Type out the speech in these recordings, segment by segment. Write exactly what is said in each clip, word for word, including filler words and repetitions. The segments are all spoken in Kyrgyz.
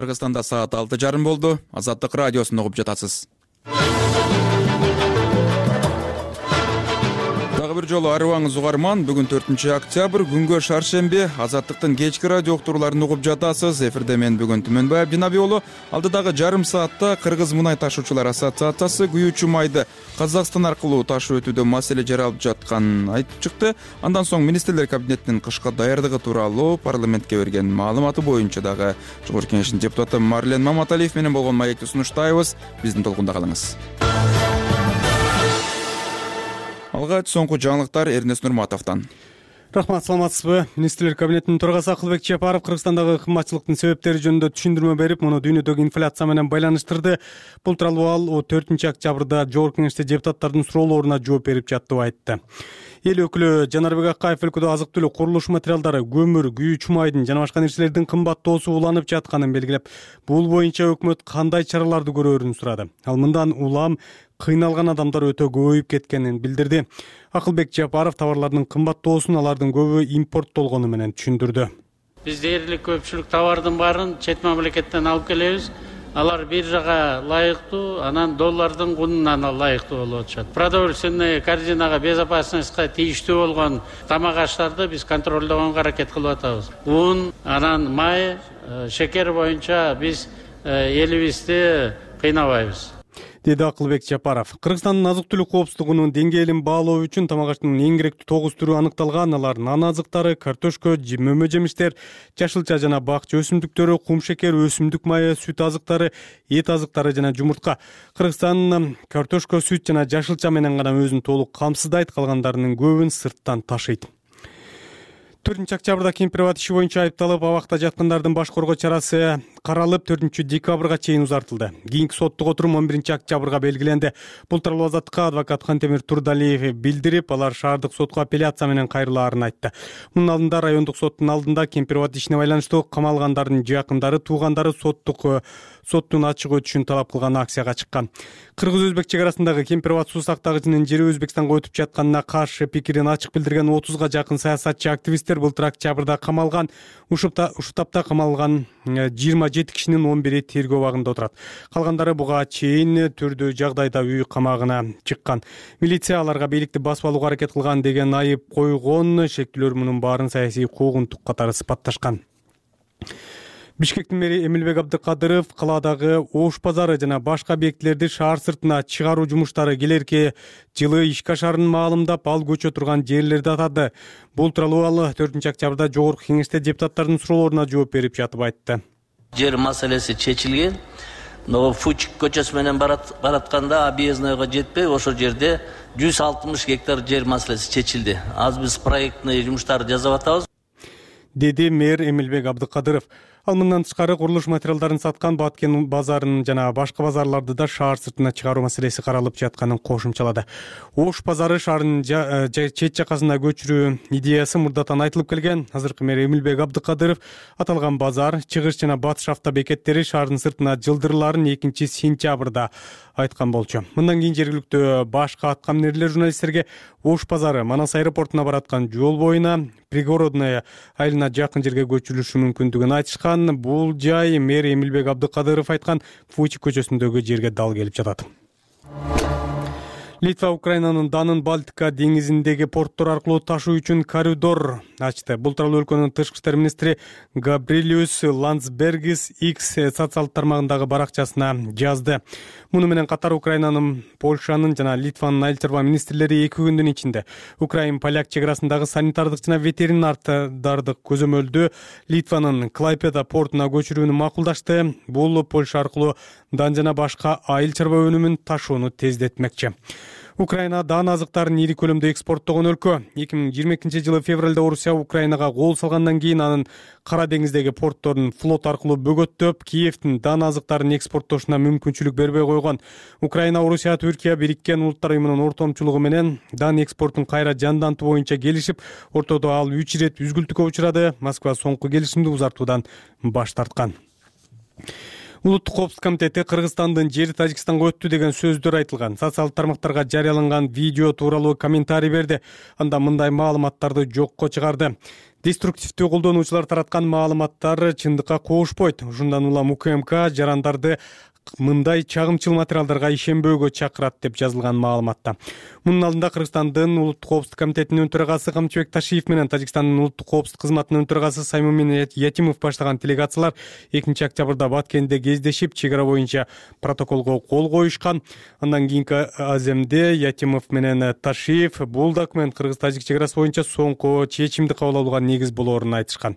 Кыргызстанда саат алты жарым болду. Азаттык радиосун угуп жатасыз. Дагы бир жолу арыбаңыз угарман. Бүгүн төртүнчү октябрь, күнгө шаршемби. Азаттыктын кечки радио уктурууларын угуп жатасыз. Эфирде мен бүгүн Түмөнбай Абдинаби уулу. Алдыдагы жарым саатта Кыргыз мунай ташуучулар ассоциациясы күйүүчү майды Казакстан аркылуу ташуу өтүүдө маселе жаралып жатканын айтып чыкты. Андан соң министрлер кабинетинин кышка даярдыгы тууралуу парламентке берген маалыматы боюнча дагы Жогорку Кеңештин депутаты Марлен Маматалиев менен болгон маекти сунуштайбыз. Биздин толкунда калыңыз. Алгач соңку жаңылыктар Эрнест Нурматовдон. Рахмат, саламатсызбы? Министрлер кабинетинин төрагасы Акылбек Чапаров Кыргызстандагы кымбатчылыктын себептери жөнүндө түшүндүрмө берип, муну дүйнөдөгү инфляция менен байланыштырды. Бул тууралуу ал төртүнчү октябрда Жогорку Кеңеште депутаттардын суроолоруна жооп берип жатты деп айтты. Эл өкүлү Жанарбек Акаев өлкөдө азык-түлүк, курулуш материалдары, көмүр, күйүүчү майдын жана башка нерселердин кымбаттоосу уланып жатканын белгилеп, бул боюнча өкмөт кандай чараларды көрөөрүн сурады. Ал мындан улам кыйналган адамдар өтө көбөйүп кеткенин билдирди. Акылбек Жапаров товарлардын кымбаттоосун алардын көбү импорттолгону менен түшүндүрдү. Биз дээрлик көпчүлүк товардын баарын чет мамлекеттен алып келебиз. Алар биржага лайыктуу, анан доллардын кунунан лайыктуу болуп атышат. Продовольственный корзинага, безопасностька тийиштүү болгон тамак аштарды биз контролдогонго аракет кылып атабыз. Un, анан май, шекер боюнча биз элибизди кыйнабайбыз, деди Акылбек Жапаров. Кыргызстандын азык-түлүк коопсуздугунун деңгээлин баалоо үчүн тамак аштын эң керектүү тогуз түрү аныкталган. Алар нан азыктары, картошка, мөмө жемиштер, жашылча жана бакча өсүмдүктөрү, кум шекер, өсүмдүк майы, сүт азыктары, эт азыктары жана жумуртка. Кыргызстан картошка, сүт жана жашылча менен гана өзүн толук камсыздайт, калгандарынын көбүн сырттан ташыйт. төртүнчү октябрда кемпирабад иши боюнча айыпталып, абакта жаткандардын баш коргоо чарасы каралып, төртүнчү декабрга чейин узартылды. Кийинки соттук отурум он биринчи октябрга белгиленди. Бул тууралуу Азаттыкка адвокат Кантемир Турдалиев билдирип, алар шаардык сотко апелляция менен кайрылаарын айтты. Мунун алдында райондук соттун алдында кемпирабад ишине байланыштуу камалгандардын жакындары, туугандары соттук соттун ачык өтүшүн талап кылган акцияга чыккан. Кыргыз-өзбек чек арасындагы Кемпирабад суу сактагычынын жери Өзбекстанга өтүп жатканына каршы пикирин ачык билдирген отузга жакын саясатчы, активисттер былтыр октябрда камалган. Ушу таапта камалган жыйырма жети кишинин он бири тергөө абагында отурат. Калгандары буга чейин түрдүү жагдайда үй камагына чыккан. Милиция аларга бийликти басып алууга аракет кылган деген айып койгон. Шектүүлөр мунун баарын саясий куугунтук катары сыпатташкан. Бишкектин мэри Эмилбек Абдыкадыров каладагы Ош базары жана башка объектилерди шаар сыртына чыгаруу жумуштары келерки жылы ишке ашарын маалымдап, ал көчө турган жерлерди атады. Бул тууралуу ал төртүнчү октябрда Жогорку Кеңеште депутаттардын суроолоруна жооп берип жатып айтты. Жер маселеси чечилген. Но Фучик көчөсү менен баратканда объездныйга жетпей, ошол жерде жүз алтымыш гектар жер маселеси чечилди. Азыр биз проектный жумуштарды жасап атабыз, деди мэр Эмилбек Абдыкадыров. Ал мындан тышкары курулуш материалдарын саткан Баткен базарын жана башка базарларды да шаар сыртына чыгаруу маселеси каралып жатканын кошумчалады. Ош базары шаардын чет жакасына көчүрүү идеясы мурдатан айтылып келген. Азыркы мэр Эмилбек Абдыкадыров аталган базар, чыгыш жана батыш автобекеттери шаардын сыртына жылдырыларын экинчи сентябрда айткан болчу. Мындан кийин жергиликтүү башка аткаминерлер журналисттерге Ош базары Манас аэропортуна бараткан жол боюна пригородная айылына жакын жерге көчүрүлүшү мүмкүндүгүн айтышкан. Бул жай мэр Эмилбек Абдыкадыров айткан Фучик көчөсүндөгү жерге дал келип жатат. Литва Украинанын Данын Балтика деңизиндеги порттор аркылуу ташуу үчүн коридор ачты. Бул тууралуу өлкөнүн тышкы иштер министри Габрилиус Ландсбергис X социалдык тармагындагы баракчасына жазды. Муну менен катар Украинанын, Польшанын жана Литванын айыл чарба министрлери эки күндүн ичинде Украин-поляк чек арасындагы санитардык жана ветеринардык көзөмөлдү Литванын Клайпеда портуна көчүрүүнү макулдашты. Бул Польша аркылуу дан жана башка айыл чарба өнүмүн ташууну тездетмекчи. Украина дан азыктарын ири көлөмдө экспорттогон өлкө. эки миң жыйырма экинчи жылы февралда Орусия Украинага кол салгандан кийин анын Кара деңиздеги портторун флот аркылуу бөгөттөп, Киевдин дан азыктарын экспорттошуна мүмкүнчүлүк бербей койгон. Украина, Орусия, Түркия Бириккен Улуттар уюмунун ортомчулугу менен дан экспортун кайра жандантуу боюнча келишип, ортодо ал үч ирет үзгүлтүккө учурады. Москва соңку келишимди узартуудан баш тарткан. Улуттук коопсуздук комитети Кыргызстандын жери Тажикстанга өттү деген сөздөр айтылган социалдык тармактарга жарыяланган видео тууралуу комментарий берди. Анда мындай маалыматтарды жокко чыгарды. Деструктивдүү колдонуучулар тараткан маалыматтар чындыкка коошпойт. Ушундан улам УКМК жарандарды мындай чагымчыл материалдарга ишенбөөгө чакырат деп жазылган маалыматта. Мунун алдында Кыргызстандын улуттук коопсуздук комитетинин төрагасы Камчыбек Ташиев менен Тажикстандын улуттук коопсуздук кызматынын төрагасы Саймумин Ятимов баштаган делегациялар экинчи октябрда Баткенде кездешип, чек ара боюнча протоколго кол коюшкан. Андан кийинки аземде Ятимов менен Ташиев бул документ Кыргыз-Тажик чек арасы боюнча соңку чечимди кабыл алууга негиз болоорун айтышкан.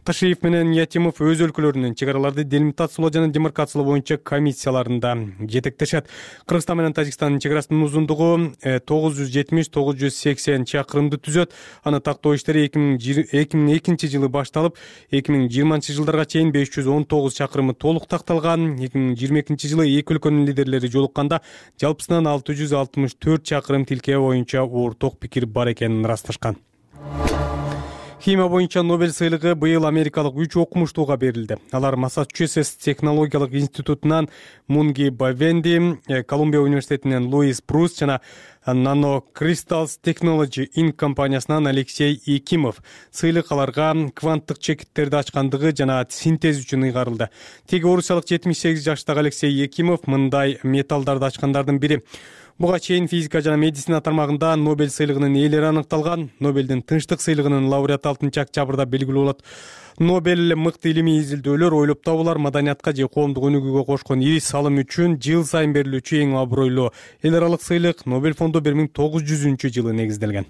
Ташиев менен Ятимов өз өлкөлөрүнүн чек араларды делимитациялоо жана демаркациялоо боюнча комиссияларында жетектешет. Кыргызстан менен Тажикстандын чек арасынын узундугу тогуз жүз жетимиш — тогуз жүз сексен чакырымды түзөт. Аны тактоо иштери эки миң экинчи жылы башталып, эки миң жыйырманчы жылдарга чейин беш жүз он тогуз чакырымы толук такталган. эки миң жыйырма экинчи жылы эки өлкөнүн лидерлери жолукканда жалпысынан алты жүз алтымыш төрт чакырым тилке боюнча орток пикир бар экенин ырасташкан. Химия боюнча Нобель сыйлыгы быйыл америкалык үч окумуштууга берилди. Алар Массачусетс технологиялык институтунан Мунги Бавенди, Колумбия университетинен Луис Брус жана Nano Crystals Technology Incorporated компаниясынан Алексей Екимов. Сыйлык аларга кванттык чекиттерди ачкандыгы жана синтез үчүн ыйгарылды. Теги орусиялык жетимиш сегиз жаштагы Алексей Екимов мындай металлдарды ачкандардын бири. Буга чейин физика жана медицина тармагында Нобель сыйлыгынын ээлери аныкталган. Нобелдин тынчтык сыйлыгынын лауреаты алтынчы октябрда белгилүү болот. Нобель мыкты илимий изилдөөлөр, ойлоп табуулар, маданиятка же коомдук өнүгүүгө кошкон ири салым үчүн жыл сайын берилүүчү эң абройлуу эл аралык сыйлык. Нобель фонду бир миң тогуз жүзүнчү жылы негизделген.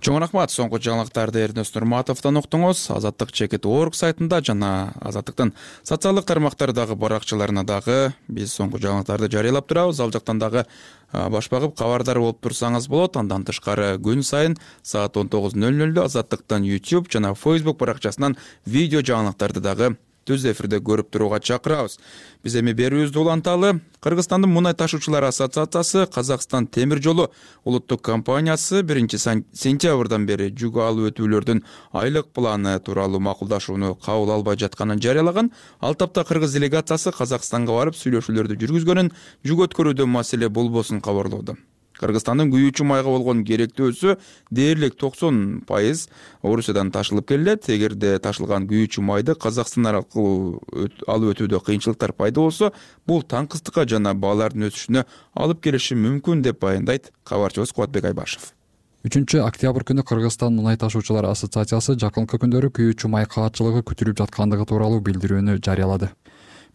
Чоң рахмат. Соңку жаңылыктарды Эрнест Нурматовдон уктуңуз. Азаттык чекит точка орг сайтында жана Азаттыктын социалдык тармактардагы баракчаларына дагы биз соңку жаңылыктарды жарыялап турабыз. Ал жактан дагы баш багып кабардар болуп турсаңыз болот. Андан тышкары күн сайын саат он тогуз ноль нолдо Азаттыктын YouTube жана Facebook баракчасынан видео жаңылыктарды дагы түз эфирде көрүп турууга чакырабыз. Биз эми берүүбүздү уланталы. Кыргызстандын мунай ташуучулар ассоциациясы Казакстан темир жолу улуттук компаниясы биринчи сентябрдан бери жүк алып өтүүлөрдүн айлык планы тууралуу макулдашууну кабыл албай жатканын жарыялаган. Ал тапта кыргыз делегациясы Казакстанга барып сүйлөшүүлөрдү жүргүзгөнүн, жүк өткөрүүдө маселе болбосун кабарлоодо. Кыргызстандын күйүүчү майга болгон керектөөсү дээрлик токсон пайыз Орусиядан ташылып келет. Эгерде ташылган күйүүчү майды Казакстан аркылуу алып өтүүдө кыйынчылыктар пайда болсо, бул таңкыстыкка жана баалардын өсүшүнө алып келиши мүмкүн деп баяндайт кабарчыбыз Кубатбек Айбашев. үчүнчү октябрь күнү Кыргызстан мунай ташуучулар ассоциациясы жакынкы күндөрү күйүүчү май каатчылыгы күтүлүп жаткандыгы тууралуу билдирүүнү жарыялады.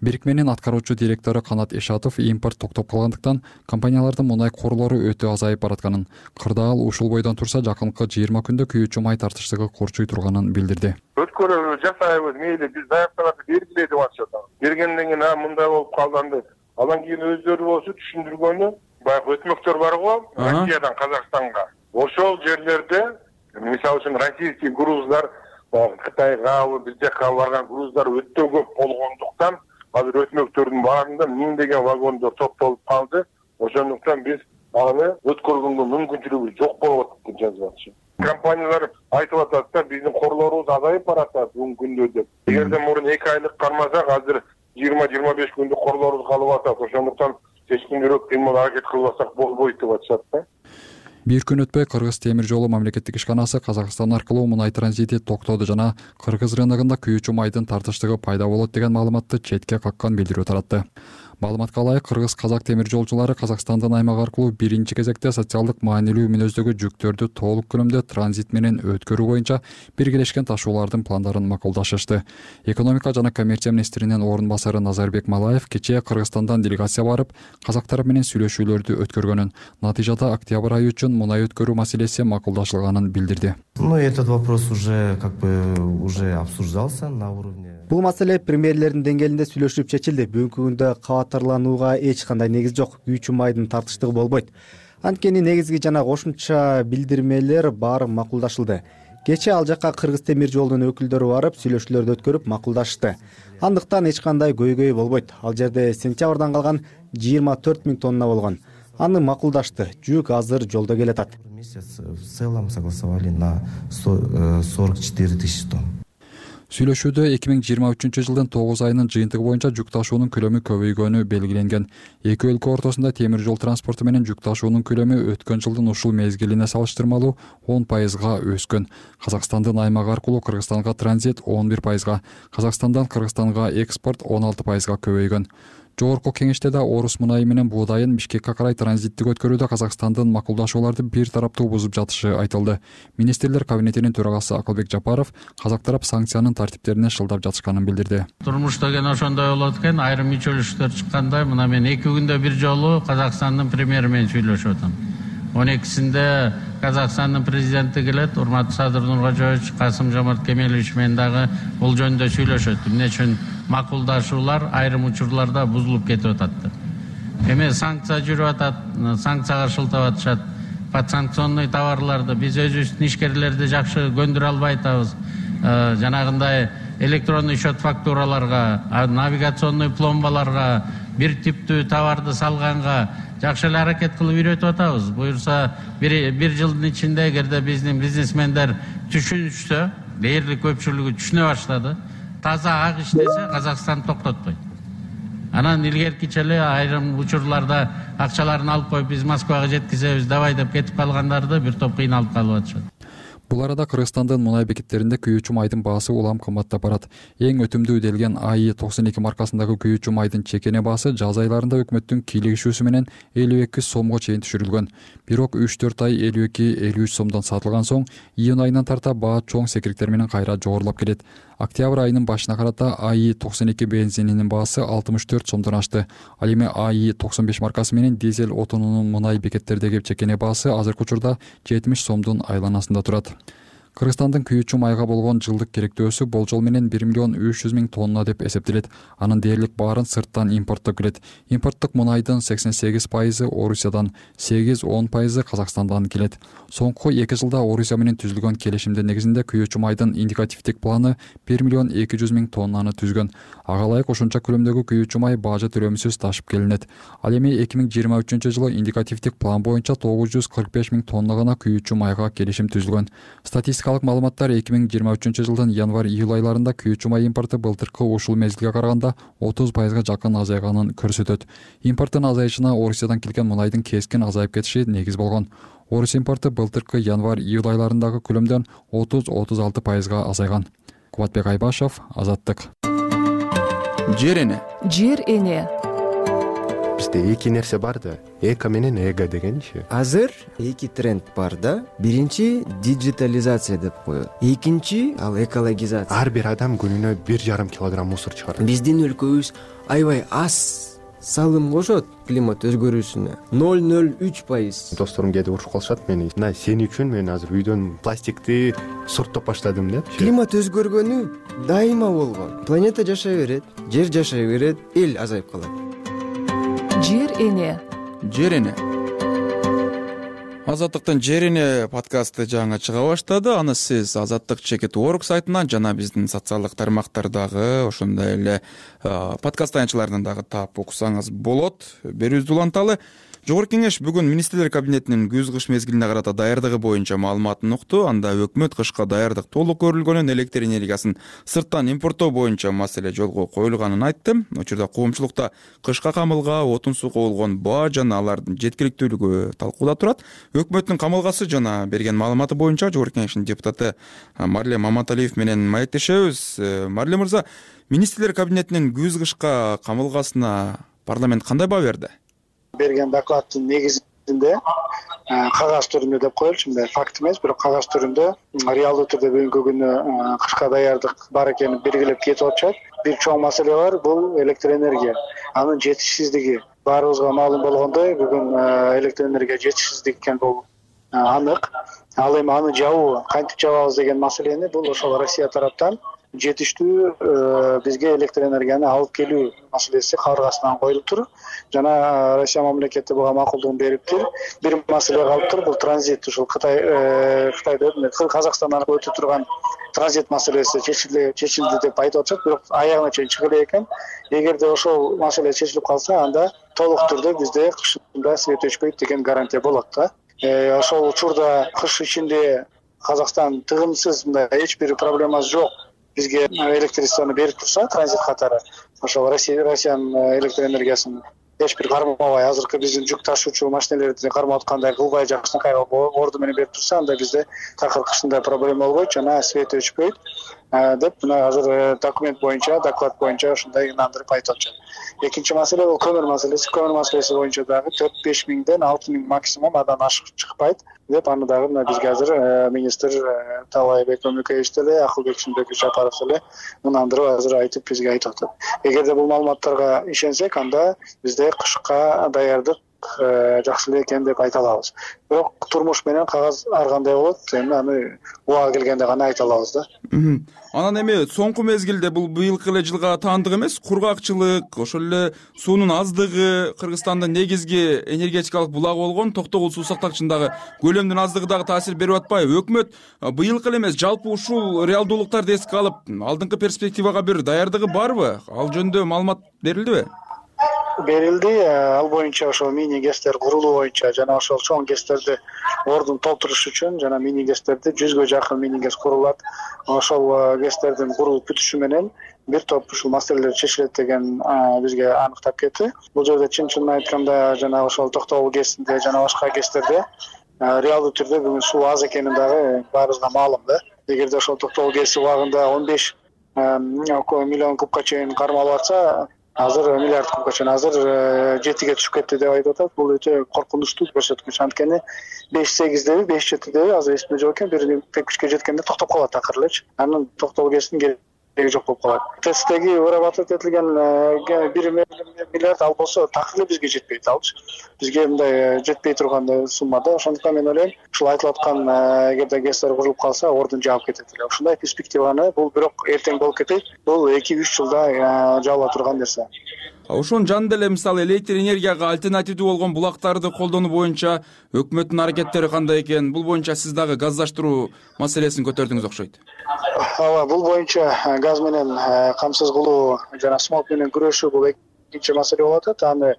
Бирикменин аткаруучу директору Канат Ишатов импорт токтоп калгандыктан компаниялардын мунай корлору өтө азайып баратканын, кырдаал ушул бойдон турса жакынкы жыйырма күндө күйүүчү май тартыштыгы корчуй турганын билдирди. Өткөрүүнү жасайбыз, мейли биз даякталарды бергиле деп атышат. Бергенден кийин а мындай болуп калганды. Андан кийин өздөрү болсо түшүндүргөнү, баягы өтмөктөр бар го, Россиядан Казакстанга. Ошол жерлерде, мисалы үчүн российский груздар, Кытайга, биз жака барган груздар өтө көп болгондуктан азыр өтмөктөрдүн баарында миңдеген вагондор топтолуп калды. Ошондуктан биз аны өткөргөнгө мүмкүнчүлүгү жок болуп атат деп жазып атышат. Компаниялар айтып атат да, биздин корлорубуз азайып баратат бүгүнкү күндө деп. Эгерде мурун эки айлык кармасак, азыр жыйырма — жыйырма беш күндүк корлорубуз калып атат. Ошондуктан чечкиндирөөк кыймыл аракет кылбасак болбойт деп атышат да. Бир күн өтпөй Кыргыз темир жолу мамлекеттик ишканасы Казакстан аркылуу мунай транзити токтоду жана Кыргыз рыногунда күйүүчү майдын тартыштыгы пайда болот деген маалыматты четке каккан билдирүү таратты. Маалыматка ылайык, Кыргыз-Казак темир жолчулары Казакстандын аймагы аркылуу биринчи кезекте социалдык маанилүү мүнөздөгү жүктөрдү толук көлөмдө транзит менен өткөрүү боюнча биргелешкен ташуулардын пландарын макулдашышты. Экономика жана коммерция министринин орун басары Назарбек Малаев кечээ Кыргызстандан делегация барып, казактар менен сүйлөшүүлөрдү өткөргөнүн, натыйжада октябрь айы үчүн мунай өткөрүү маселеси макулдашылганын билдирди. Ну, этот вопрос уже как бы уже обсуждался на уровне. Бул маселе премьерлердин деңгээлинде сүйлөшүлүп чечилди. Бүгүнкү күндө кабаттарланууга эч кандай негиз жок. Күйүүчү майдын тартыштыгы болбойт. Анткени негизги жана кошумча билдирмелер баары макулдашылды. Кечээ ал жакка Кыргыз темир жолунун өкүлдөрү барып, сүйлөшүүлөрдү өткөрүп макулдашты. Андыктан эч кандай көйгөй болбойт. Ал жерде сентябрдан калган жыйырма төрт миң тонна болгон. Аны макулдашты. Жүк азыр жолдо келатат. В целом согласовали на сорок четыре тысячи тонн. Сүйлөшүүдө эки миң жыйырма үчүнчү жылдын тогуз айынын жыйынтыгы боюнча жүк ташуунун көлөмү көбөйгөнү белгиленген. Эки өлкө ортосунда темир жол транспорту менен жүк ташуунун көлөмү өткөн жылдын ушул мезгилине салыштырмалуу он пайызга өскөн. Казакстандын аймак аркылуу Кыргызстанга транзит он бир пайызга, Казакстандан Кыргызстанга экспорт он алты пайызга көбөйгөн. Жогорку кеңеште да орус мунайы менен буудайын Бишкекке карай транзиттик өткөрүүдө Казакстандын макулдашууларды бир тараптуу бузуп жатышы айтылды. Министрлер кабинетинин төрагасы Акылбек Жапаров казак тарап санкциянын тартиптерине шылдап жатышканын билдирди. Турмуш деген ошондой болот экен, айрым үчөлүштөр чыкканда мына мен эки күндө бир жолу Казакстандын премьери менен сүйлөшүп атам. он экисинде Казакстандын президенти келет, урматтуу Садыр Нуркожоевич, Касым-Жомарт Кемелович менен дагы бул жөнүндө сүйлөшөт. Эмне үчүн макулдашуулар айрым учурларда бузулуп кетип атат деп. Эми санкция жүрүп атат, санкцияга шылтап атышат. Подсанкционный товарларды биз өзүбүздүн ишкерлерди жакшы көндүрө албай атабыз. Жанагындай электронный счет фактураларга, навигационный пломбаларга, бир типтүү товарды салганга жакшы эле аракет кылып үйрөтүп атабыз. Буюрса бир бир жылдын ичинде эгерде биздин бизнесмендер түшүнүшсө, дээрлик көпчүлүгү түшүнө баштады. Таза ак иштесе Казакстан токтотпойт. Анан илгеркиче эле айрым учурларда акчаларын алып коюп биз Москвага жеткизебиз давай деп кетип калгандарды бир топ кыйналып калып атышат. Бул арада Кыргызстандын мунай бекеттеринде күйүүчү майдын баасы улам кымбаттап барат. Эң өтүмдүү делген А И токсон эки маркасындагы күйүүчү майдын чекене баасы жаз айларында өкмөттүн кийлигишүүсү менен элүү эки сомго чейин түшүрүлгөн. Бирок үч төрт ай элүү эки элүү үч сомдон сатылган соң июнь айынан тарта баа чоң секириктер менен кайра жогорулап келет. Октябрь айынын башына карата А И токсон эки бензининин баасы алтымыш төрт сомдон ашты. Ал эми А И токсон беш маркасы менен дизель отунунун мунай бекеттердеги чекене баасы азыркы учурда жетимиш сомдун айланасында турат. Кыргызстандын күйүүчү майга болгон жылдык керектөөсү болжол менен бир миллион үч жүз миң тонна деп эсептелет. Анын дээрлик баарын сырттан импорттоп келет. Импорттук мунайдын сексен сегиз пайызы Орусиядан, сегиз он пайызы Казакстандан келет. Соңку эки жылда Орусия менен түзүлгөн келишимдин негизинде күйүүчү майдын индикативдик планы бир миллион эки жүз миң тоннаны түзгөн. Ага ылайык ошонча көлөмдөгү күйүүчү май бажы төлөмсүз ташып келинет. Ал эми эки миң жыйырма үчүнчү жылы индикативдик план боюнча тогуз жүз кырк беш миң тонна гана күйүүчү майга келишим түзүлгөн. Статистикалык маалыматтар эки миң жыйырма үчүнчү жылдын январь-июль айларында күйүүчү май импорту былтыркы ушул мезгилге караганда отуз пайызга жакын азайганын көрсөтөт. Импорттун азайышына Орусиядан келген мунайдын кескин азайып кетиши негиз болгон. Орус импорту былтыркы январь-июль айларындагы көлөмдөн отуз отуз алты пайызга азайган. Кубатбек Айбашев, Азаттык. Жер эне. Жер эне. Бизде эки нерсе бар да, эко менен эго дегенчи. Азыр эки тренд бар да. Биринчи диджитализация деп коет. Экинчи ал экологизация. Ар бир адам күнүнө бир жарым килограмм мусор чыгарат. Биздин өлкөбүз аябай аз салым кошот климат өзгөрүүсүнө. ноль ноль үч пайыз. Досторум кээде урушуп калышат мени. Мына сен үчүн мен азыр үйдөн пластикти сорттоп баштадым деп. Климат өзгөргөнү дайыма болгон. Планета жашай берет, жер жашай берет, эл азайып калат. Жер эне. Жер эне. Азаттыктын Жер эне подкасты жаңы чыга баштады. Аны сиз Азаттык чекит точка орг сайтынан жана биздин социалдык тармактардагы ошондой эле подкаст таянчыларынан дагы таап уксаңыз болот. Берүүбүздү уланталы. Жогорку кеңеш бүгүн министрлер кабинетинин күз-кыш мезгилине карата даярдыгы боюнча маалыматын укту. Анда өкмөт кышка даярдык толук көрүлгөнүн, электр энергиясын сырттан импорттоо боюнча маселе жолго коюлганын айтты. Учурда коомчулукта кышка камылга, отун суу кобулгон баа жана алардын жеткиликтүүлүгү талкууда турат. Өкмөттүн камылгасы жана берген маалыматы боюнча Жогорку кеңештин депутаты Марлем Маматалиев менен маектешебиз. Марлем мырза, министрлер кабинетинин күз-кышка камылгасына парламент кандай баа берди? Берген докладдын негизинде кагаз түрүндө деп коелучу, мындай факт эмес, бирок кагаз түрүндө реалдуу түрдө бүгүнкү күнү кышка даярдык бар экени белгилеп кетип атышат. Бир чоң маселе бар, бул электр энергия. Анын жетишсиздиги баарыбызга маалым болгондой, бүгүн электр энергия жетишсиздик экен бул анык. Ал эми аны жабуу, кантип жабабыз деген маселени бул ошол Россия тараптан жетиштүү бизге электр энергияны алып келүү маселеси кабыргасынан коюлуптур. Жана Россия мамлекети буга макулдугун бериптир. Бир маселе калыптыр, бул транзит, ушул Кытай Кытайда Казакстандан өтүп турган транзит маселеси чечилди, чечилди деп айтып атышат, бирок аягына чейин чыга элек экен. Эгерде ошол маселе чечилип калса, анда толук түрдө бизде кышында свет өчпөйт деген гарантия болот да. Ошол учурда кыш ичинде Казакстан тыгынсыз, мындай эч бир проблемасы жок бизге электричествону берип турса транзит катары ошол Россиянын электр энергиясын эч бир кармабай азыркы биздин жүк ташуучу машиналерди кармап аткандай кылбай жакшынакай орду менен берип турса анда бизде такыр кышында проблема болбойт жана свет өчпөйт деп мына азыр документ боюнча доклад боюнча ушундай ынандырып айтып атышат. Экинчи маселе бул көмүр маселеси. Көмүр маселеси боюнча дагы төрт беш миңден алты миң максимум андан ашык чыкпайт деп аны дагы мына бизге азыр министр Таалайбек Өмөкеевич деле Акылбек Жапаров деле ынандырып азыр айтып бизге айтып атат. Эгерде бул маалыматтарга ишенсек, анда бизде кышка даярдык жакшы эле экен деп айта алабыз. Бирок турмуш менен кагаз ар кандай болот, эми аны убагы келгенде гана айта алабыз да. Анан эми соңку мезгилде бул быйылкы эле жылга таандык эмес, кургакчылык, ошол эле суунун аздыгы, Кыргызстандын негизги энергетикалык булагы болгон Токтогул суу сактагычындагы көлөмдүн аздыгы дагы таасир берип атпайбы? Өкмөт быйылкы эле эмес, жалпы ушул реалдуулуктарды эске алып, алдыңкы перспективага бир даярдыгы барбы? Ал жөнүндө маалымат берилдиби? Берилди. Ал боюнча ошол мини гэстер курулуу боюнча жана ошол чоң гэстерди ордун толтуруш үчүн жана мини гэстерди жүзгө жакын мини гэс курулат. Ошол гэстердин курулуп бүтүшү менен бир топ ушул маселелер чечилет деген бизге аныктап кетти. Бул жерде чын-чынын айтканда жана ошол Токтогул гэсинде жана башка гэстерде реалдуу түрдө бүгүн суу аз экени дагы баарыбызга маалым да. Эгерде ошол Токтогул гэси убагында он беш миллион кубка чейин кармалып атса, азыр миллиард кубка чейин азыр жетиге түшүп кетти деп айтып атат. Бул өтө коркунучтуу көрсөткүч. Анткени беш сегиздеби, беш жетидеби азыр эсимде жок экен, бир күчкө жеткенде токтоп калат акыры элечи. Анын Токтогул гэсинин кереги жок болуп калат. Тесттеги вырабатывать этилген бир миллиард ал болсо такыр эле бизге жетпейт алчы. Бизге мындай жетпей турган сумма да. Ошондуктан мен ойлойм, ушул айтылып аткан эгерде гэстер курулуп калса, ордун жаап кетет эле. Ушундай перспективаны бул бирок эртең болуп кетет. Бул эки үч жылда жабыла турган нерсе. Ошонун жанында эле мисалы электр энергияга альтернативдүү болгон булактарды колдонуу боюнча өкмөттүн аракеттери кандай экен? Бул боюнча сиз дагы газдаштыруу маселесин көтөрдүңүз окшойт. Ооба, бул боюнча газ менен камсыз кылуу жана смог менен күрөшүү бул экинчи маселе болуп атат. Аны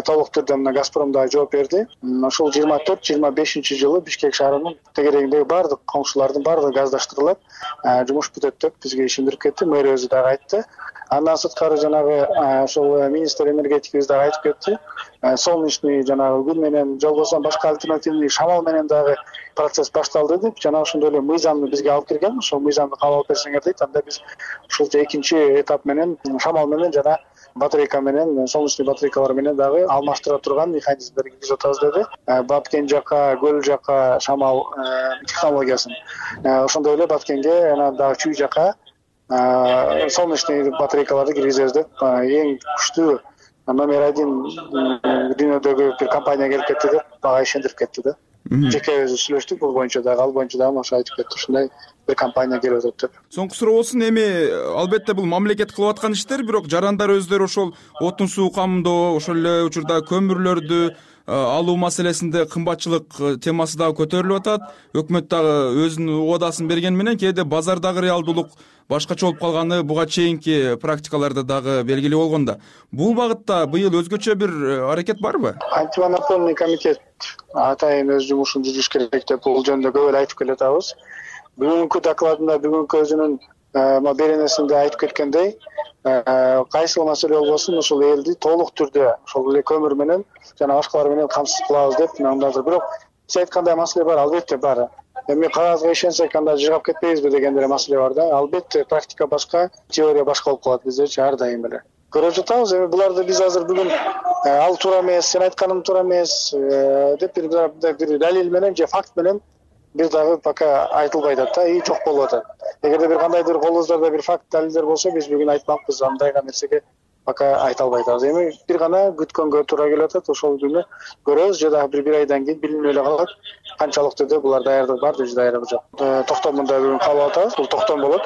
толук түрдө мына Газпром да жооп берди. Ошол жыйырма төрт жыйырма бешинчи жылы Бишкек шаарынын тегерегиндеги баардык коңшулардын баардыгы газдаштырылат. Жумуш бүтөт деп бизге ишендирип кетти. Мэр өзү дагы айтты. Андан сырткары жанагы ошол министр энергетикабиз дагы айтып кетти. Солнечный жанагы күн менен жолбосо башка альтернативный шамал менен дагы процесс башталды деп жана ошондой эле мыйзамды бизге алып келген. Ошол мыйзамды кабыл алып берсеңер дейт, анда биз ушул экинчи этап менен шамал менен жана батарейка менен, солнечный батарейкалар менен дагы алмаштыра турган механизмдерди киргизип атабыз деди. Баткен жака, Көл жака шамал технологиясын. Ошондой эле Баткенге анан дагы Чүй жака солнечный батарейкаларды киргизебиз деп эң күчтүү номер один дүйнөдөгү бир компания келип кетти деп бага ишендирип кетти да. Жеке өзү сүйлөштүк бул боюнча дагы, ал боюнча дагы ошо айтып кетти, ушундай бир компания келип атат деп. Соңку суроосун эми албетте бул мамлекет кылып аткан иштер, бирок жарандар өздөрү ошол отун суу камдоо, ошол эле учурда көмүрлөрдү алуу маселесинде кымбатчылык темасы дагы көтөрүлүп атат. Өкмөт дагы өзүнүн убадасын берген менен кээде базардагы реалдуулук башкача болуп калганы буга чейинки практикаларда дагы белгилүү болгондо. Бул багытта быйыл өзгөчө бир аракет барбы? Антимонопольный комитет атайын өз жумушун жүргүзүш керек деп бул жөнүндө көп эле айтып келатабыз. Бүгүнкү докладында, бүгүнкү өзүнүн беренесинде айтып кеткендей, кайсы маселе болбосун ошол элди толук түрдө ошол эле көмүр менен жана башкалар менен камсыз кылабыз деп мындадыр. Бирок сиз айткандай маселе бар, албетте бар. Эми кагазга ишенсек анда жыгап кетпейбизби дегендей маселе бар да. Албетте практика башка, теория башка болуп калат биздечи ар дайым эле. Көрүп жатабыз, эми буларды биз азыр бүгүн ал туура эмес, сен айтканың туура эмес деп бир бир далил менен же факт менен бир дагы пока айтылбай атат да, и жок болуп атат. Эгерде бир кандайдыр колубуздарда бир факт далилдер болсо, биз бүгүн айтмакпыз, андайга нерсеге пока айта албай атабыз. Эми бир гана күткөнгө туура келип атат, ошол күнү көрөбүз же дагы бир бир айдан кийин билинип эле калат. Канчалык түрдө булар даярдык бар, же даярдык жок. Токтомун да бүгүн кабыл атабыз. Бул токтом болот.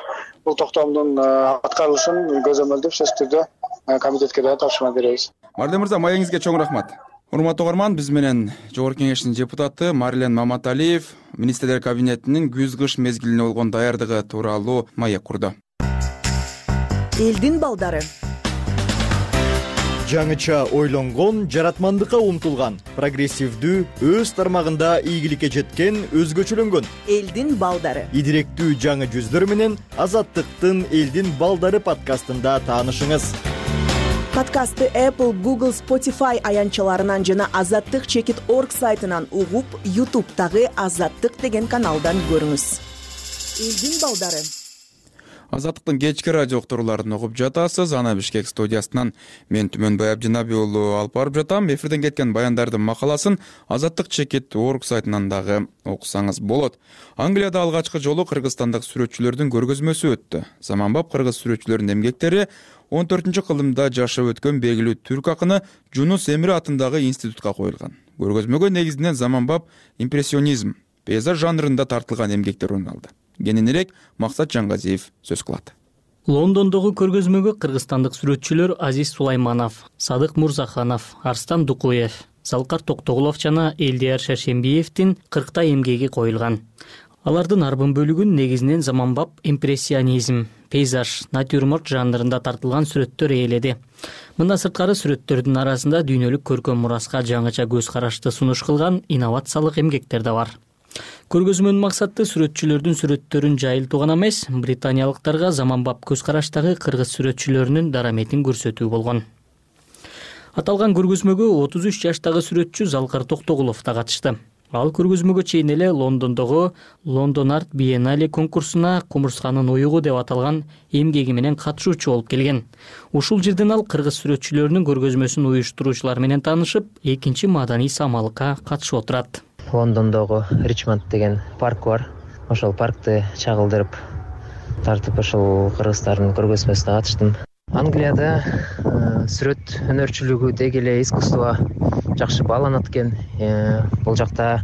Бул токтомдун аткарылышын көзөмөлдөп сөзсүз түрдө комитетке да тапшырма беребиз. Марден мырза, маегиңизге чоң рахмат. Урматтуу угарман, биз менен Жогорку Кеңештин депутаты Марлен Маматалиев министрлер кабинетинин күз-кыш мезгилине болгон даярдыгы тууралуу маек курду. Элдин балдары. жаңыча ойлонгон, жаратмандыкка умтулган, прогрессивдүү, өз тармагында ийгиликке жеткен, өзгөчөлөнгөн элдин балдары. Идиректүү жаңы жүздөр менен Азаттыктын элдин балдары подкастында таанышыңыз. Подкастты Apple, Google, Spotify аянтчаларынан жана азаттык чекит орг сайтынан угуп, YouTube'дагы Азаттык деген каналдан көрүңүз. Элдин балдары. Азаттыктын кечки радио уктурууларын угуп жатасыз. Ана Бишкек студиясынан мен Түмөнбай Абдинабий уулу алып барып жатам. Эфирден кеткен баяндардын макаласын Азаттык чекит орг сайтынан дагы окусаңыз болот. Англияда алгачкы жолу кыргызстандык сүрөтчүлөрдүн көргөзмөсү өттү. Заманбап кыргыз сүрөтчүлөрүнүн эмгектери он төртүнчү кылымда жашап өткөн белгилүү түрк акыны Жунус Эмре атындагы институтка коюлган. Көргөзмөгө негизинен заманбап импрессионизм, пейзаж жанрында тартылган эмгектер орун алды. Кененирээк Максат Жангазиев сөз кылат. Лондондогу көргөзмөгө кыргызстандык сүрөтчүлөр Азиз Сулайманов, Садык Мурзаханов, Арстан Дукуев, Залкар Токтогулов жана Элдияр Шаршембиевдин кырктай эмгеги коюлган. Алардын арбын бөлүгүн негизинен заманбап импрессионизм, пейзаж, натюрморт жанрында тартылган сүрөттөр ээледи. Мындан сырткары сүрөттөрдүн арасында дүйнөлүк көркөм мураска жаңыча көз карашты сунуш кылган инновациялык эмгектер да бар. Көргөзмөнүн максаты сүрөтчүлөрдүн сүрөттөрүн жайылтуу гана эмес, британиялыктарга заманбап көз караштагы кыргыз сүрөтчүлөрүнүн дараметин көрсөтүү болгон. Аталган көргөзмөгө отуз үч жаштагы сүрөтчү Залкар Токтогулов да катышты. Ал көргөзмөгө чейин эле Лондондогу London Art Biennale конкурсуна кумурсканын уюгу деп аталган эмгеги менен катышуучу болуп келген. Ушул жерден ал кыргыз сүрөтчүлөрүнүн көргөзмөсүн уюштуруучулар менен таанышып, экинчи маданий самалыкка катышып отурат. Лондондогу Ричмонд деген парк бар. Ошол паркты чагылдырып тартып ошол кыргыздардын көргөзмөсүнө катыштым. Англияда сүрөт өнөрчүлүгү деги эле искусство жакшы бааланат экен. Бул жакта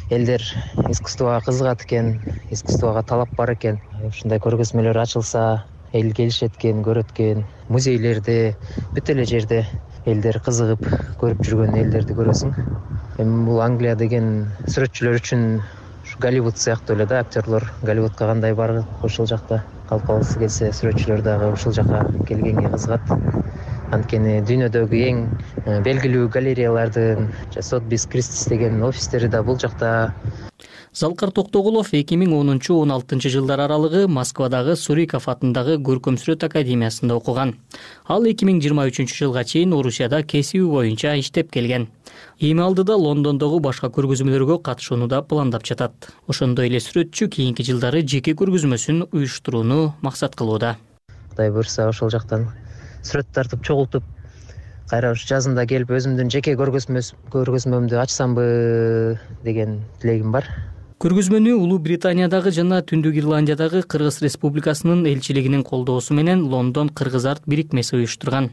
элдер искусствого кызыгат экен, искусствого талап бар экен. Ушундай көргөзмөлөр ачылса, эл келишет экен, көрөт экен. Музейлерде, бүт эле жерде элдер кызыгып көрүп жүргөн элдерди көрөсүң. Эми бул Англия деген сүрөтчүлөр үчүн Голливуд сыяктуу эле да, актерлор Голливудка кандай барып ошол жакта калып калгысы келсе, сүрөтчүлөр дагы ушул жака келгенге кызыгат. Анткени дүйнөдөгү эң белгилүү галереялардын Сотбис Кристис деген офистери да бул жакта. Залкар Токтогулов эки миң онунчу он алтынчы жылдар аралыгы Москвадагы Суриков атындагы Көркөм сүрөт академиясында окуган. Ал эки миң жыйырма үчүнчү жылга чейин Орусияда кесиби боюнча иштеп келген. Эми алдыда Лондондогу башка көргөзмөлөргө катышууну да пландап жатат. Ошондой эле сүрөтчү кийинки жылдары жеке көргөзмөсүн уюштурууну максат кылууда. Кудай буйрса ошол жактан сүрөт тартып чогултуп, кайра ушу жазында келип өзүмдүн жеке көргөзмөмдү ачсамбы деген тилегим бар. Көргөзмөнү Улуу Британиядагы жана Түндүк Ирландиядагы Кыргыз Республикасынын элчилигинин колдоосу менен Лондон Кыргыз арт бирикмеси уюштурган.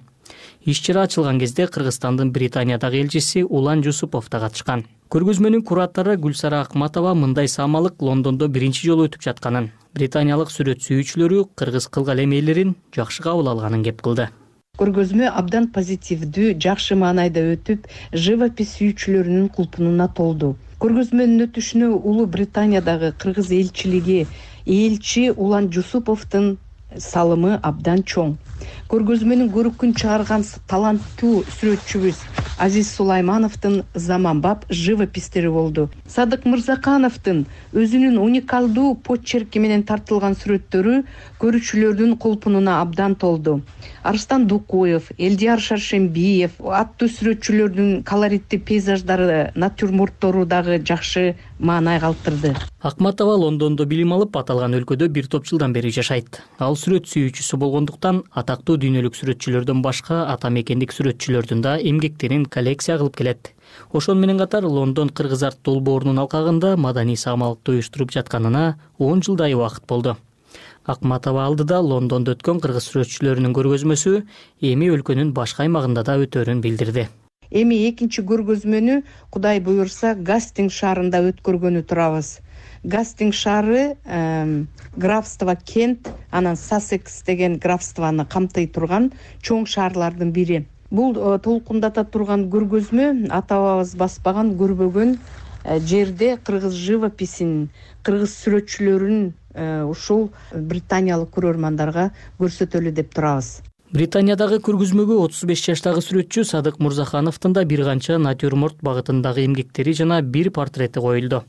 Иш-чара ачылган кезде Кыргызстандын Британиядагы элчиси Улан Жусупов да катышкан. Көргөзмөнүн куратору Гүлсара Акматова мындай самалык Лондондо биринчи жолу өтүп жатканын, британиялык сүрөт сүйүүчүлөрү кыргыз кылгал эмелерин жакшы кабыл алганын кеп кылды. Көргөзмө абдан позитивдүү, жакшы маанайда өтүп, живопись сүйүүчүлөрүнүн кулпунуна толду. Көргөзмөнүн өтүшүнө Улуу Британиядагы кыргыз элчилиги элчи Улан Жусуповдун салымы абдан чоң. Көргөзмөнүн көрүккүн чыгарган таланттуу сүрөтчүбүз Азиз Сулаймановдун заманбап живопистери болду. Садык Мырзакановдун өзүнүн уникалдуу почерки менен тартылган сүрөттөрү көрүүчүлөрдүн кулпунуна абдан толду. Арстан Дукуев, Элдияр Шаршембиев аттуу сүрөтчүлөрдүн колоритти пейзаждары, натюрморттору дагы жакшы маанай калтырды. Акматова Лондондо билим алып, аталган өлкөдө бир топ жылдан бери жашайт. Ал сүрөт сүйүүчүсү болгондуктан атактуу дүйнөлүк сүрөтчүлөрдөн башка ата мекендик сүрөтчүлөрдүн да эмгектерин коллекция кылып келет. Ошон менен катар Лондон Кыргыз арт долбоорунун алкагында маданий самалыкты уюштуруп жатканына он жылдай убакыт болду. Акматова алдыда Лондондо өткөн кыргыз сүрөтчүлөрүнүн көргөзмөсү эми өлкөнүн башка аймагында да өтөрүн билдирди. Эми экинчи көргөзмөнү Кудай буйрса Гастинг шаарында өткөргөнү турабыз. Гастинг шаары графство Кент, анан Сассекс деген графствону камтый турган чоң шаарлардын бири. Бул толкундата турган көргөзмө ата бабабыз баспаган, көрбөгөн жерде кыргыз живописин, кыргыз сүрөтчүлөрүн ушул британиялык көрөрмандарга көрсөтөлү деп турабыз. Британиядагы көргөзмөгө отуз беш жаштагы сүрөтчү Садык Мурзахановдун да бир канча натюрморт багытындагы эмгектери жана бир портрети коюлду.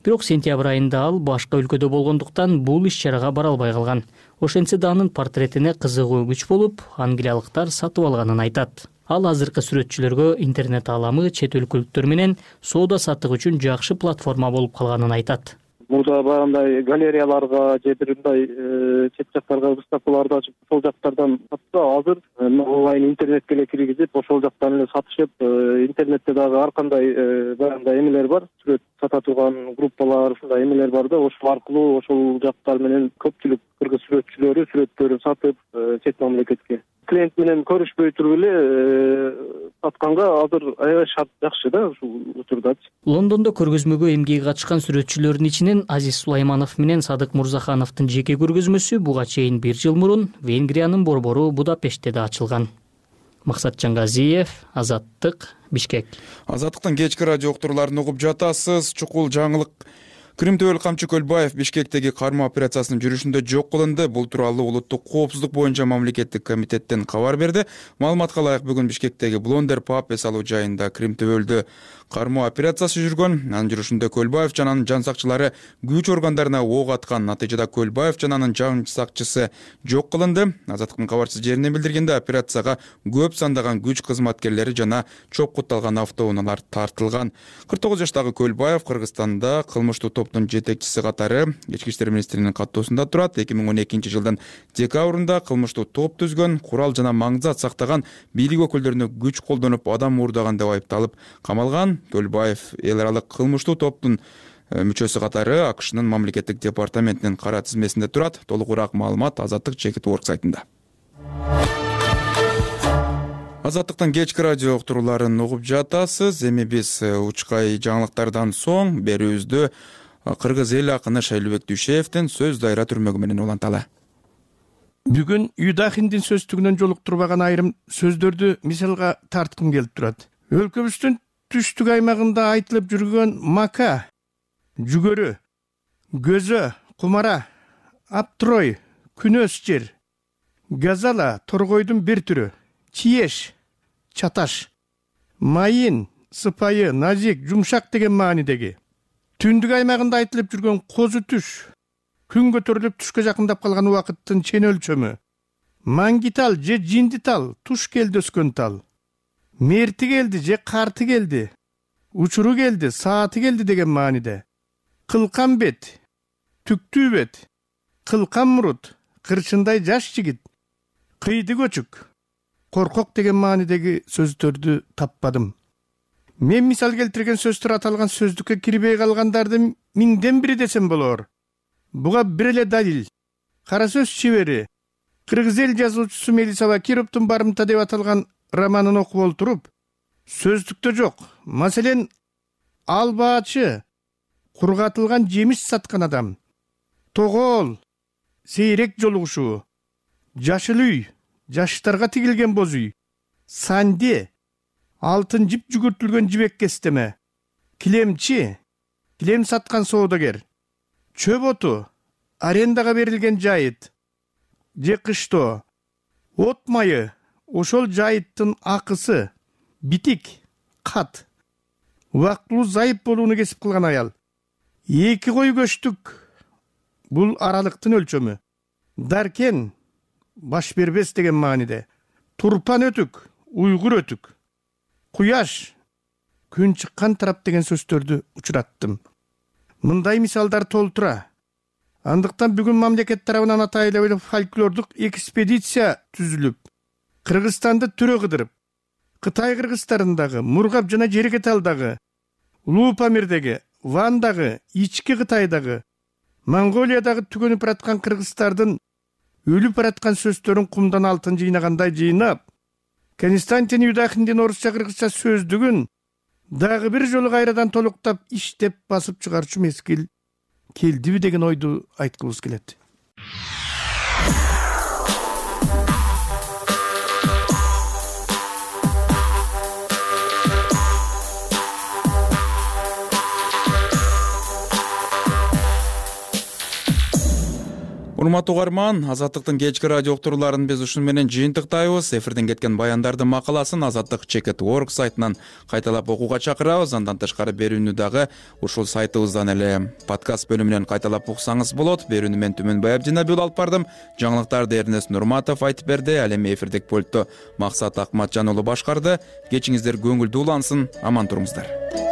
Бирок сентябрь айында ал башка өлкөдө болгондуктан бул иш-чарага бара албай калган. Ошентсе да анын портретине кызыгуу күч болуп, англиялыктар сатып алганын айтат. Ал азыркы сүрөтчүлөргө интернет ааламы чет өлкөлүктөр менен соода саттык үчүн жакшы платформа болуп калганын айтат. Мурда баягындай галереяларга же бир мындай чет жактарга выставкаларды ачып ошол жактардан сатса, азыр онлайн интернетке эле киргизип, ошол жактан эле сатышып, интернетте дагы ар кандай баягындай эмелер бар, сүрөт сата турган группалар, ушундай эмелер бар да, ошол аркылуу ошол жактар менен көпчүлүк кыргыз сүрөтчүлөрү сүрөттөрүн сатып чет мамлекетке клиент менен көрүшпөй туруп эле сатканга азыр аябай шарт жакшы да ушул учурдачы. Лондондо көргөзмөгө эмгеги катышкан сүрөтчүлөрдүн ичинен Азиз Сулайманов менен Садык Мурзахановдун жеке көргөзмөсү буга чейин бир жыл мурун Венгриянын борбору Будапештте да ачылган. Максат Жангазиев, Азаттык, Бишкек. Азаттыктын кечки радио уктурууларын угуп жатасыз. Чукул жаңылык. Крим Төбөл Камчы Көлбаев Бишкектеги кармоо операциясынын жүрүшүндө жок кылынды. Бул тууралуу улуттук коопсуздук боюнча мамлекеттик комитеттен кабар берди. Маалыматка ылайык, бүгүн Бишкектеги Блондер паб эс алуу жайында Крим Төбөлдө кармоо операциясы жүргөн. Анын жүрүшүндө Көлбаев жана анын жан сакчылары күч органдарына ок аткан. Натыйжада Көлбаев жана анын жан сакчысы жок кылынды. Азаттыктын кабарчысы жеринен билдиргенде, операцияга көп сандаган күч кызматкерлери жана чокутталган автоунаалар тартылган. кырк тогуз жаштагы Көлбаев Кыргызстанда кылмыштуу топтун жетекчиси катары Ички иштер министринин каттоосунда турат. эки миң он экинчи жылдын декабрында кылмыштуу топ түзгөн, курал жана маңзат сактаган, бийлик өкүлдөрүнө күч колдонуп адам уурдаган деп айыпталып камалган. Көлбаев эл аралык кылмыштуу топтун мүчөсү катары АКШнын мамлекеттик департаментинин кара тизмесинде турат. Толугураак маалымат Азаттык чекит орг сайтында. Азаттыктын кечки радио уктурууларын угуп жатасыз. Эми биз учкай жаңылыктардан соң берүүбүздү кыргыз эл акыны Шайлообек Дүйшеевдин сөз дайра түрмөгү менен уланталы. Бүгүн Юдахиндин сөздүгүнөн жолуктурбаган айрым сөздөрдү мисалга тарткым келип турат. Өлкөбүздүн түштүк аймагында айтылып жүргөн мака, жүгөрү, көзө, кумара, аптрой, күнөс жер, газала, торгойдун бир түрү, чиеш, чаташ, майын, сыпайы, назик, жумшак деген маанидеги. Түндүк аймагында айтылып жүргөн козу түш, күн көтөрүлүп түшкө жакындап калган убакыттын чен өлчөмү, маңгитал же жиндитал, туш келди өскөн тал, мерти келди же карты келди, учуру келди, сааты келди деген мааниде. Кылкан бет, түктүү бет, кылкан мурут, кырчындай жаш жигит, кыйды көчүк, коркок деген маанидеги сөздөрдү таппадым. Мен мисал келтирген сөздөр аталган сөздүккө кирбей калгандардын миңден бири десем болор. Буга бир эле далил. Кара сөз чебери, кыргыз эл жазуучусу Мелиса Бакировдун барымта деп аталган романын окуп олтуруп, сөздүктө жок. Маселен, албаачы, кургатылган жемиш саткан адам, тогоол, сейрек жолугушуу, жашыл үй, жаштарга тигилген боз үй, санди, алтын жип жүгүртүлгөн жибек кестеме, килемчи, килем саткан соодагер, чөп оту, арендага берилген жайыт, же кыштоо, от майы, ошол жайыттын акысы, битик, кат, убактылуу зайып болууну кесип кылган аял, эки кой көчтүк, бул аралыктын өлчөмү, даркен, баш бербес деген мааниде, турпан өтүк, уйгур өтүк, куяш, күн чыккан тарап деген сөздөрдү учураттым. Мындай мисалдар толтура. Андыктан бүгүн мамлекет тарабынан атайлуу фольклордук экспедиция түзүлүп, Кыргызстанды түрө кыдырып, Кытай кыргыздарындагы, Мургап жана Жеркеталдагы, Улуу Памирдеги, Вандагы, Ички Кытайдагы, Монголиядагы түгөнүп бараткан кыргыздардын өлүп бараткан сөздөрүн кумдан алтын жыйнагандай жыйнап, Константин Юдахиндин орусча кыргызча сөздүгүн дагы бир жолу кайрадан толуктап иштеп басып чыгарчу мезгил келдиби деген ойду айткыбыз келет. урматтуу угарман, Азаттыктын кечки радио уктурууларын биз ушуну менен жыйынтыктайбыз. Эфирден кеткен баяндардын макаласын азаттык чекит точка орг сайтынан кайталап окууга чакырабыз. Андан тышкары берүүнү дагы ушул сайтыбыздан эле подкаст бөлүмүнөн кайталап уксаңыз болот. Берүүнү мен Түмөнбай Абдинабиул алып бардым. Жаңылыктарды Эрнест Нурматов айтып берди. Ал эми эфирдик пультту Максат Акматжан уулу башкарды. Кечиңиздер көңүлдүү улансын, аман туруңуздар.